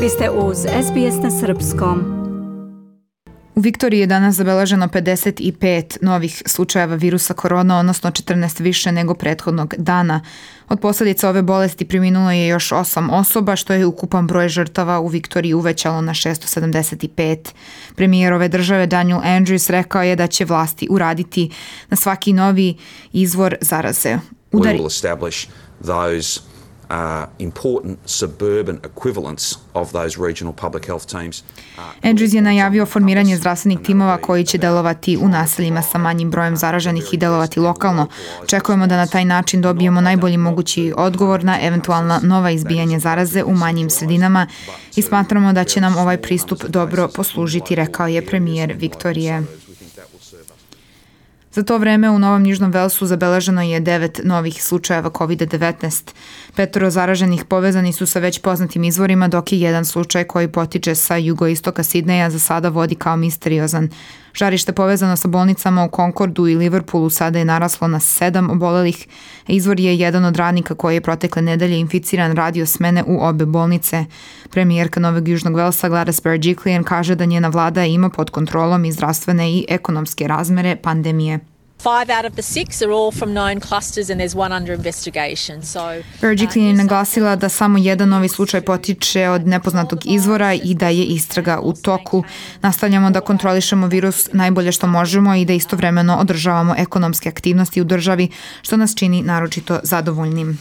Vi ste uz SBS na Srpskom. U Viktoriji je danas zabeleženo 55 novih slučajeva virusa korona, odnosno 14 više nego prethodnog dana. Od posljedica ove bolesti preminulo je još 8 osoba, što je ukupan broj žrtava u Viktoriji uvećalo na 675. Premijer ove države Daniel Andrews rekao je da će vlasti uraditi na svaki novi izvor zaraze. Important suburban equivalents of those regional public health teams. Andrews je najavio formiranje zdravstvenih timova koji će delovati u naseljima sa manjim brojem zaraženih i delovati lokalno. Očekujemo da na taj način dobijemo najbolji mogući odgovor na eventualna nova izbijanja zaraze u manjim sredinama i smatramo da će nam ovaj pristup dobro poslužiti, rekao je premijer Viktorije. Za to vreme u Novom Južnom Velsu zabeleženo je 9 novih slučajeva COVID-19. 5 zaraženih povezani su sa već poznatim izvorima, dok je jedan slučaj koji potiče sa jugoistoka Sidneja za sada vodi kao misteriozan. Žarište povezano sa bolnicama u Concordu i Liverpoolu sada je naraslo na 7 obolelih. Izvor je jedan od radnika koji je protekle nedelje inficiran radio smene u obe bolnice. Premijerka Novog Južnog Velsa Gladys Berejiklian kaže da njena vlada ima pod kontrolom i zdravstvene i ekonomske razmere pandemije. 5 out of the 6 are all from known clusters and there's one under investigation. Berejiklian je naglasila da samo jedan novi slučaj potiče od nepoznatog izvora i da je istraga u toku. Nastavljamo da kontrolišemo virus najbolje što možemo i da istovremeno održavamo ekonomske aktivnosti u državi, što nas čini naročito zadovoljnim.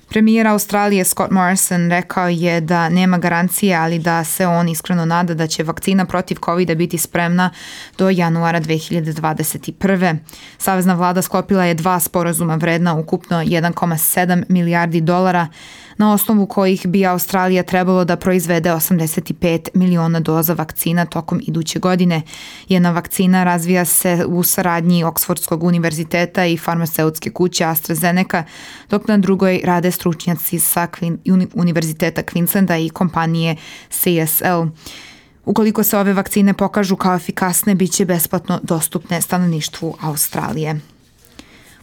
Premijer Australije Scott Morrison rekao je da nema garancije, ali da se on iskreno nada da će vakcina protiv COVID-a biti spremna do januara 2021. Savezna vlada sklopila je 2 sporazuma vredna ukupno 1,7 milijardi dolara, na osnovu kojih bi Australija trebalo da proizvede 85 miliona doza vakcina tokom iduće godine. Jedna vakcina razvija se u saradnji Oxfordskog univerziteta i farmaceutske kuće AstraZeneca, dok na drugoj rade stručnjaci sa Univerziteta Queenslanda i kompanije CSL. Ukoliko se ove vakcine pokažu kao efikasne, bit će besplatno dostupne stanovništvu Australije.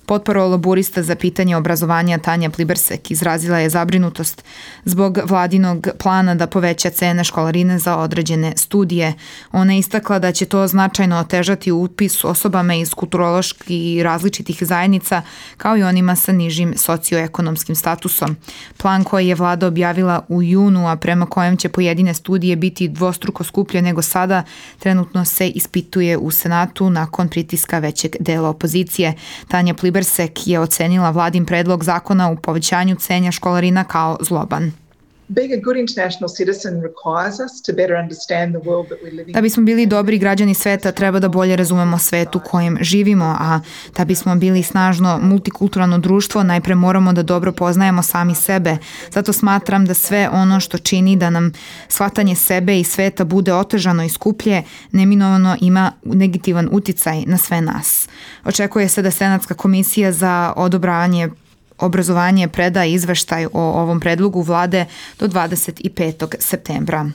Potporo laburista za pitanje obrazovanja Tanja Plibersek izrazila je zabrinutost zbog vladinog plana da poveća cene školarine za određene studije. Ona je istakla da će to značajno otežati upis osobama iz kulturoloških i različitih zajednica, kao i onima sa nižim socioekonomskim statusom. Plan koji je vlada objavila u junu, a prema kojem će pojedine studije biti dvostruko skuplje nego sada, trenutno se ispituje u Senatu nakon pritiska većeg dela opozicije. Tanja Plibersek je ocenila vladin predlog zakona u povećanju cena školarina kao zloban. Da bismo bili dobri građani sveta, treba da bolje razumemo svet u kojem živimo, a da bismo bili snažno multikulturalno društvo, najpre moramo da dobro poznajemo sami sebe. Zato smatram da sve ono što čini da nam shvatanje sebe i sveta bude otežano i skuplje, neminovano ima negativan uticaj na sve nas. Očekuje se da Senatska komisija za odobravanje obrazovanje preda izveštaj o ovom predlogu vlade do 25. septembra.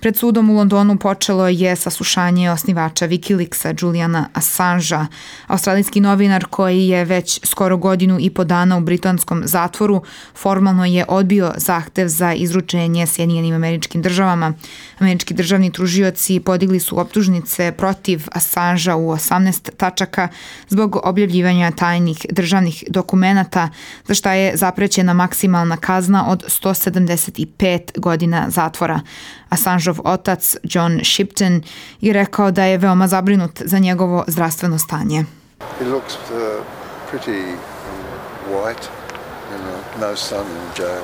Pred sudom u Londonu počelo je saslušanje osnivača Wikileaksa Juliana Assangea. Australijski novinar koji je već skoro 1.5 godina u britanskom zatvoru formalno je odbio zahtev za izručenje Sjedinjenim Američkim Državama. Američki državni tužioci podigli su optužnice protiv Assangea u 18 tačaka zbog objavljivanja tajnih državnih dokumenata, za šta je zaprećena maksimalna kazna od 175 godina zatvora. Assangeov otac John Shipton je rekao da je veoma zabrinut za njegovo zdravstveno stanje. He looks pretty white and no sun in jail.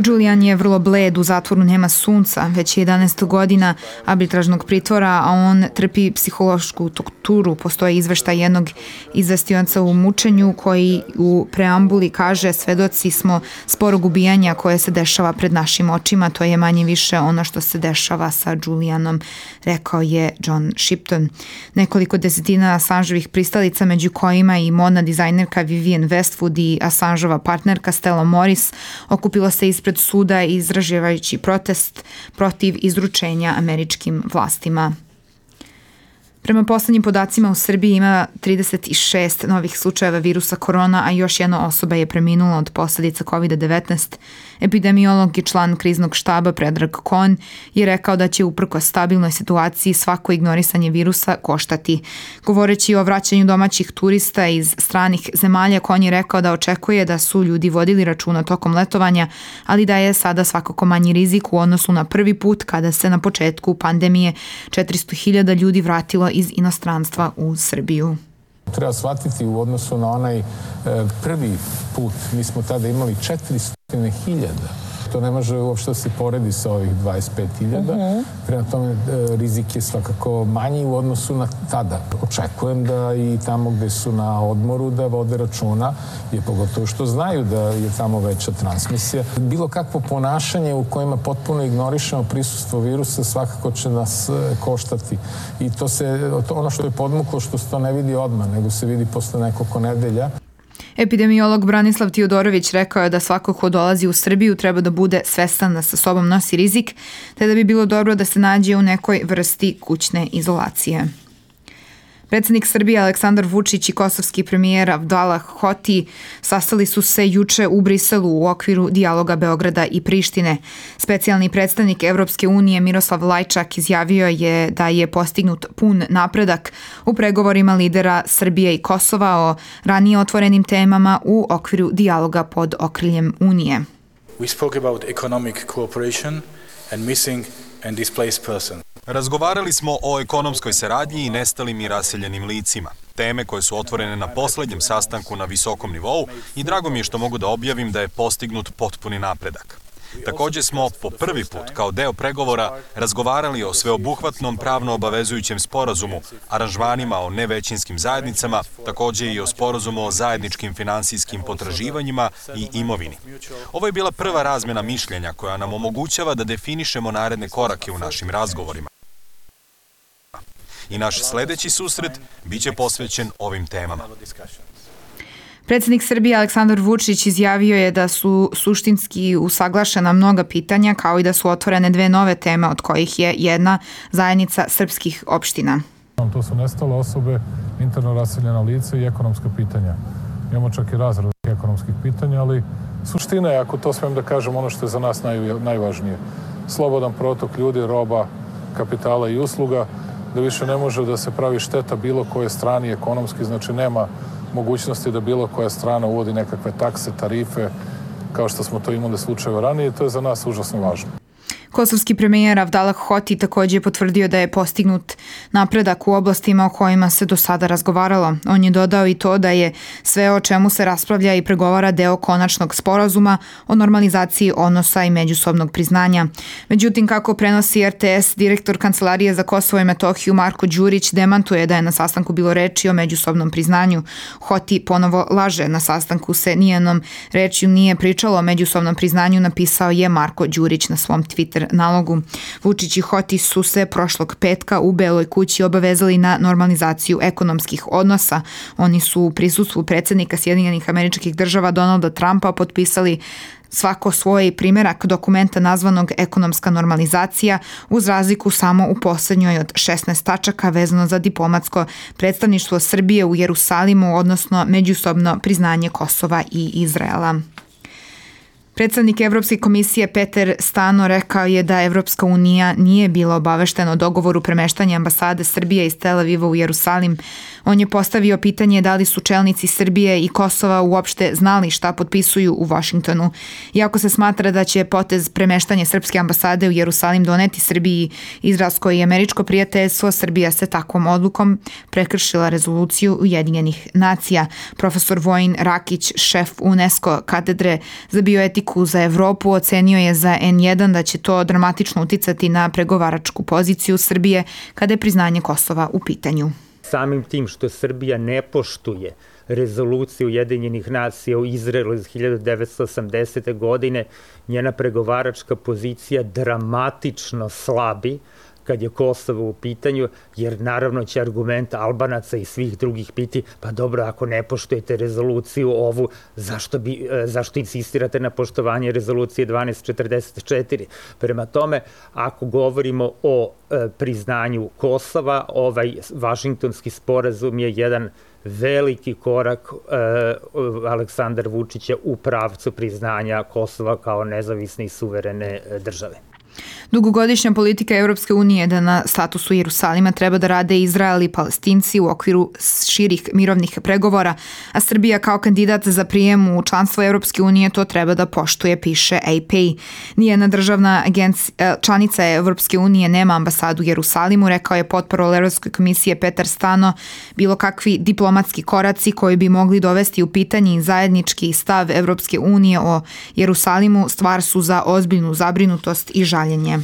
Julian je vrlo bled, u zatvoru nema sunca, već je 11 godina arbitražnog pritvora, a on trpi psihološku torturu. Postoje izveštaj jednog izvestioca u mučenju koji u preambuli kaže: svedoci smo sporog ubijanja koje se dešava pred našim očima, to je manje više ono što se dešava sa Julianom, rekao je John Shipton. Nekoliko desetina Assangeovih pristalica, među kojima i modna dizajnerka Vivienne Westwood i Assangeova partnerka Stella Morris, okupilo se ispred suda izražavajući protest protiv izručenja američkim vlastima. Prema poslednjim podacima u Srbiji ima 36 novih slučajeva virusa korona, a još jedna osoba je preminula od posledica COVID-19. Epidemiolog i član kriznog štaba Predrag Kon je rekao da će uprkos stabilnoj situaciji svako ignorisanje virusa koštati. Govoreći o vraćanju domaćih turista iz stranih zemalja, Kon je rekao da očekuje da su ljudi vodili računa tokom letovanja, ali da je sada svakako manji rizik u odnosu na prvi put kada se na početku pandemije 400.000 ljudi vratilo iz inostranstva u Srbiju. Treba shvatiti u odnosu na onaj prvi put, mi smo tada imali 400.000. To ne može uopšte se poredi sa ovih 25.000. Prema tome, rizik je svakako manji u odnosu na tada. Očekujem da i tamo gde su na odmoru da vode računa, je pogotovo što znaju da je tamo veća transmisija. Bilo kakvo ponašanje u kojima potpuno ignorišemo prisustvo virusa svakako će nas koštati. I ono što je podmuklo, što se to ne vidi odmah, nego se vidi posle nekoliko nedelja. Epidemiolog Branislav Tijodorović rekao je da svako ko dolazi u Srbiju treba da bude svestan da sa sobom nosi rizik, te da bi bilo dobro da se nađe u nekoj vrsti kućne izolacije. Predsednik Srbije Aleksandar Vučić i kosovski premijer Abdallah Hoti sastali su se juče u Briselu u okviru dijaloga Beograda i Prištine. Specijalni predstavnik Evropske unije Miroslav Lajčak izjavio je da je postignut pun napredak u pregovorima lidera Srbije i Kosova o ranije otvorenim temama u okviru dijaloga pod okriljem Unije. We spoke about economic cooperation and missing and displaced persons. Razgovarali smo o ekonomskoj saradnji i nestalim i raseljenim licima. Teme koje su otvorene na poslednjem sastanku na visokom nivou i drago mi je što mogu da objavim da je postignut potpuni napredak. Takođe smo po prvi put kao deo pregovora razgovarali o sveobuhvatnom pravno obavezujućem sporazumu, aranžmanima o nevećinskim zajednicama, takođe i o sporazumu o zajedničkim finansijskim potraživanjima i imovini. Ovo je bila prva razmjena mišljenja koja nam omogućava da definišemo naredne korake u našim razgovorima. I naš sledeći susret biće posvećen ovim temama. Predsednik Srbije Aleksandar Vučić izjavio je da su suštinski usaglašena mnoga pitanja, kao i da su otvorene dve nove teme, od kojih je jedna zajednica srpskih opština. To su nestale osobe, interno raseljena lica i ekonomska pitanja. Imamo čak i razradu ekonomskih pitanja, ali suština je, ako to smijem da kažem, ono što je za nas najvažnije. Slobodan protok ljudi, roba, kapitala i usluga, da više ne može da se pravi šteta bilo koje strani ekonomski, znači nema mogućnosti da bilo koja strana uvodi nekakve takse, tarife, kao što smo to imali slučajeve ranije, to je za nas užasno važno. Kosovski premijer Abdallah Hoti takođe je potvrdio da je postignut napredak u oblastima o kojima se do sada razgovaralo. On je dodao i to da je sve o čemu se raspravlja i pregovara deo konačnog sporazuma o normalizaciji odnosa i međusobnog priznanja. Međutim, kako prenosi RTS, direktor Kancelarije za Kosovo i Metohiju Marko Đurić demantuje da je na sastanku bilo reči o međusobnom priznanju. Hoti ponovo laže, na sastanku se nijednom rečju nije pričalo o međusobnom priznanju, napisao je Marko Đurić na svom Twitter nalogu. Vučić i Hoti su se prošlog petka u Beloj kući obavezali na normalizaciju ekonomskih odnosa. Oni su u prisustvu predsednika Sjedinjenih Američkih Država Donalda Trumpa potpisali svako svoj primerak dokumenta nazvanog ekonomska normalizacija, uz razliku samo u poslednjoj od 16 tačaka vezano za diplomatsko predstavništvo Srbije u Jerusalimu, odnosno međusobno priznanje Kosova i Izraela. Predstavnik Evropske komisije Peter Stano rekao je da Evropska unija nije bila obaveštena o dogovoru premeštanja ambasade Srbije iz Tel Aviva u Jerusalim. On je postavio pitanje da li su čelnici Srbije i Kosova uopšte znali šta potpisuju u Vašingtonu. Iako se smatra da će potez premeštanja srpske ambasade u Jerusalim doneti Srbiji izraelsko i američko prijateljstvo, Srbija se takvom odlukom prekršila rezoluciju Ujedinjenih nacija. Profesor Vojin Rakić, šef UNESCO katedre za bioetiku za Evropu, ocenio je za N1 da će to dramatično uticati na pregovaračku poziciju Srbije kada je priznanje Kosova u pitanju. Samim tim što Srbija ne poštuje rezoluciju Ujedinjenih nacija u Izraelu iz 1980. godine, njena pregovaračka pozicija dramatično slabi kad je Kosovo u pitanju, jer naravno će argument Albanaca i svih drugih biti, pa dobro, ako ne poštujete rezoluciju ovu, zašto insistirate na poštovanje rezolucije 1244? Prema tome, ako govorimo o priznanju Kosova, ovaj Vašingtonski sporazum je jedan veliki korak Aleksandra Vučića u pravcu priznanja Kosova kao nezavisne i suverene države. Dugogodišnja politika Evropske unije je da na statusu Jerusalima treba da rade Izrael i Palestinci u okviru širih mirovnih pregovora, a Srbija kao kandidat za prijem u članstvo Evropske unije to treba da poštuje, piše AP. Nijedna državna članica Evropske unije nema ambasadu u Jerusalimu, rekao je potporol Evropske komisije Petar Stano. Bilo kakvi diplomatski koraci koji bi mogli dovesti u pitanje zajednički stav Evropske unije o Jerusalimu stvar su za ozbiljnu zabrinutost i žaljenje.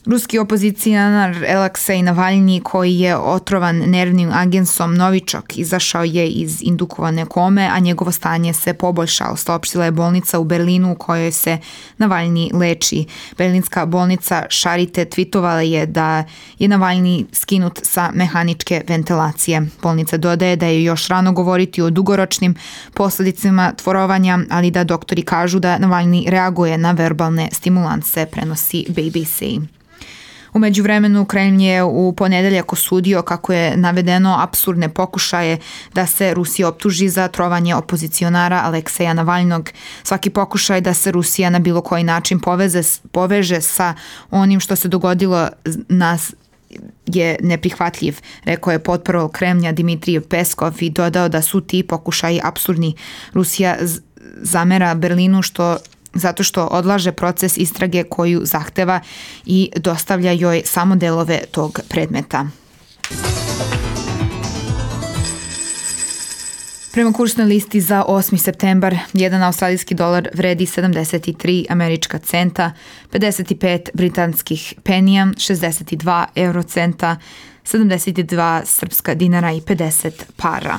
Ruski opozicijanar Aleksej Navalni, koji je otrovan nervnim agensom Novičok, izašao je iz indukovane kome, a njegovo stanje se poboljšalo, saopštila je bolnica u Berlinu u kojoj se Navalni leči. Berlinska bolnica Charité tvitovala je da je Navalni skinut sa mehaničke ventilacije. Bolnica dodaje da je još rano govoriti o dugoročnim posledicama tvorovanja, ali da doktori kažu da Navalni reaguje na verbalne stimulanse, prenosi BBC. U međuvremenu Kremlj je u ponedeljak osudio, kako je navedeno, apsurdne pokušaje da se Rusija optuži za trovanje opozicionara Alekseja Navalnog. Svaki pokušaj da se Rusija na bilo koji način poveže sa onim što se dogodilo nas je neprihvatljiv, rekao je potporol Kremlja Dimitrij Peskov i dodao da su ti pokušaji apsurdni. Rusija zamera Berlinu zato što odlaže proces istrage koju zahteva i dostavlja joj samo delove tog predmeta. Prema kursnoj listi za 8. septembar, jedan australijski dolar vredi 73 američka centa, 55 britanskih penija, 62 eurocenta, 72 srpska dinara i 50 para.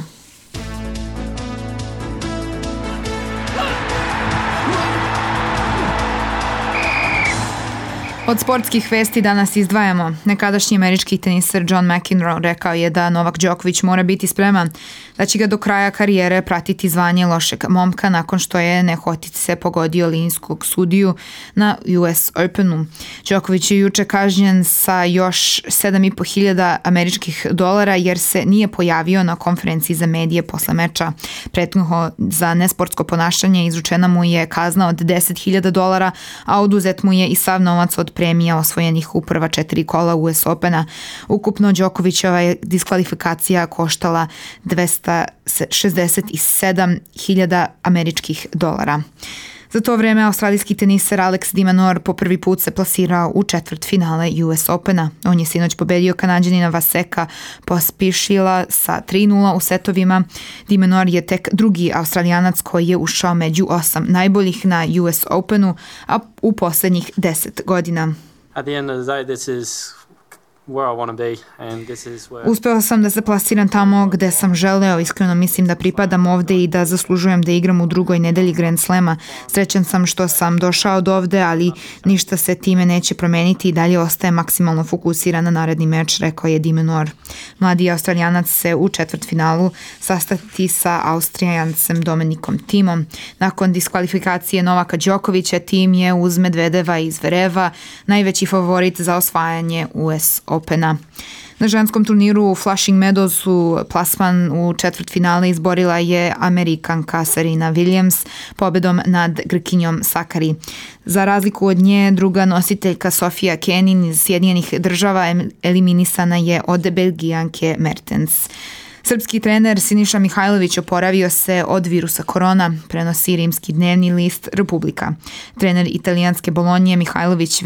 Od sportskih vesti danas izdvajamo. Nekadašnji američki teniser John McEnroe rekao je da Novak Đoković mora biti spreman, da će ga do kraja karijere pratiti zvanje lošeg momka nakon što je nehotice pogodio linijskog sudiju na US Openu. Đoković je juče kažnjen sa još 7.500 američkih dolara jer se nije pojavio na konferenciji za medije posle meča. Prethodno za nesportsko ponašanje izručena mu je kazna od 10.000 dolara, a oduzet mu je i sav novac od premija osvojenih u prva 4 kola US Opena. Ukupno Đokovićeva je diskvalifikacija koštala 267.000 američkih dolara. Za to vreme australijski teniser Alex de Minaur po prvi put se plasirao u četvrtfinale US Opena. On je sinoć pobedio Kanađanina Vaseka Pospišila sa 3:0 u setovima. De Minaur je tek drugi Australijanac koji je ušao među 8 najboljih na US Openu, a u poslednjih 10 godina. At the end of the day, this is where I want to be and this is where... Uspeo sam da se plasiram tamo gde sam želeo, iskreno mislim da pripadam ovde i da zaslužujem da igram u drugoj nedelji Grand Slema. Srećan sam što sam došao do ovde, ali ništa se time neće promeniti i dalje ostaje maksimalno fokusiran na naredni meč, rekao je de Minaur. Mladi Australijanac se u četvrtfinalu sastati sa Austrijancem Dominikom Thimom. Nakon diskvalifikacije Novaka Đokovića, Thiem je uz Medvedeva i Zvereva najveći favorit za osvajanje US Opena. Na ženskom turniru u Flushing Meadowsu plasman u četvrtfinale izborila je Amerikanka Serena Williams pobedom nad Grkinjom Sakari. Za razliku od nje, druga nositeljka Sofia Kenin iz Sjedinjenih Država eliminisana je od Belgijanke Mertens. Srpski trener Siniša Mihajlović oporavio se od virusa korona, prenosi rimski dnevni list Republika. Trener italijanske Bolonje Mihajlović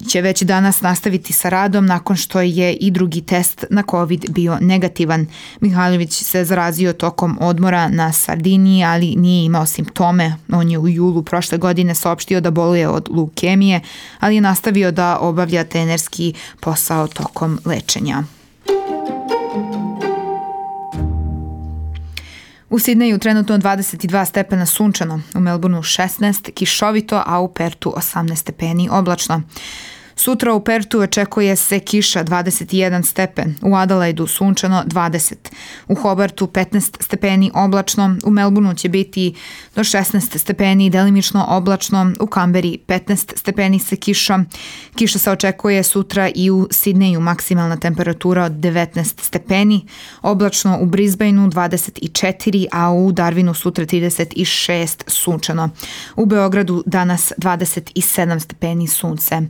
će već danas nastaviti sa radom nakon što je i drugi test na COVID bio negativan. Mihajlović se zarazio tokom odmora na Sardiniji, ali nije imao simptome. On je u julu prošle godine saopštio da boluje od leukemije, ali je nastavio da obavlja trenerski posao tokom lečenja. U Sidneju trenutno 22 stepena sunčano, u Melbourneu 16, kišovito, a u Pertu 18 stepeni oblačno. Sutra u Pertu očekuje se kiša 21 stepen, u Adelaidu sunčano 20, u Hobartu 15 stepeni oblačno, u Melbourneu će biti do 16 stepeni delimično oblačno, u Kamberi 15 stepeni sa kišom. Kiša se očekuje sutra i u Sidneju, maksimalna temperatura od 19 stepeni, oblačno u Brisbaneu 24, a u Darwinu sutra 36 sunčano. U Beogradu danas 27 stepeni sunce.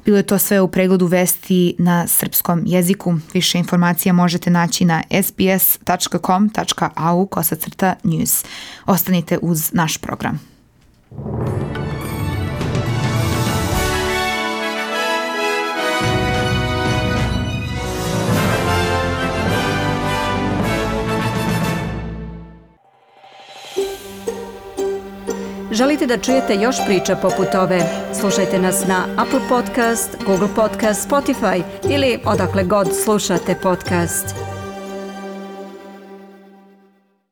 Bilo je to sve u pregledu vesti na srpskom jeziku. Više informacija možete naći na sbs.com.au/news. Ostanite uz naš program. Želite da čujete još priča poput ove? Slušajte nas na Apple Podcast, Google Podcast, Spotify ili odakle god slušate podcast.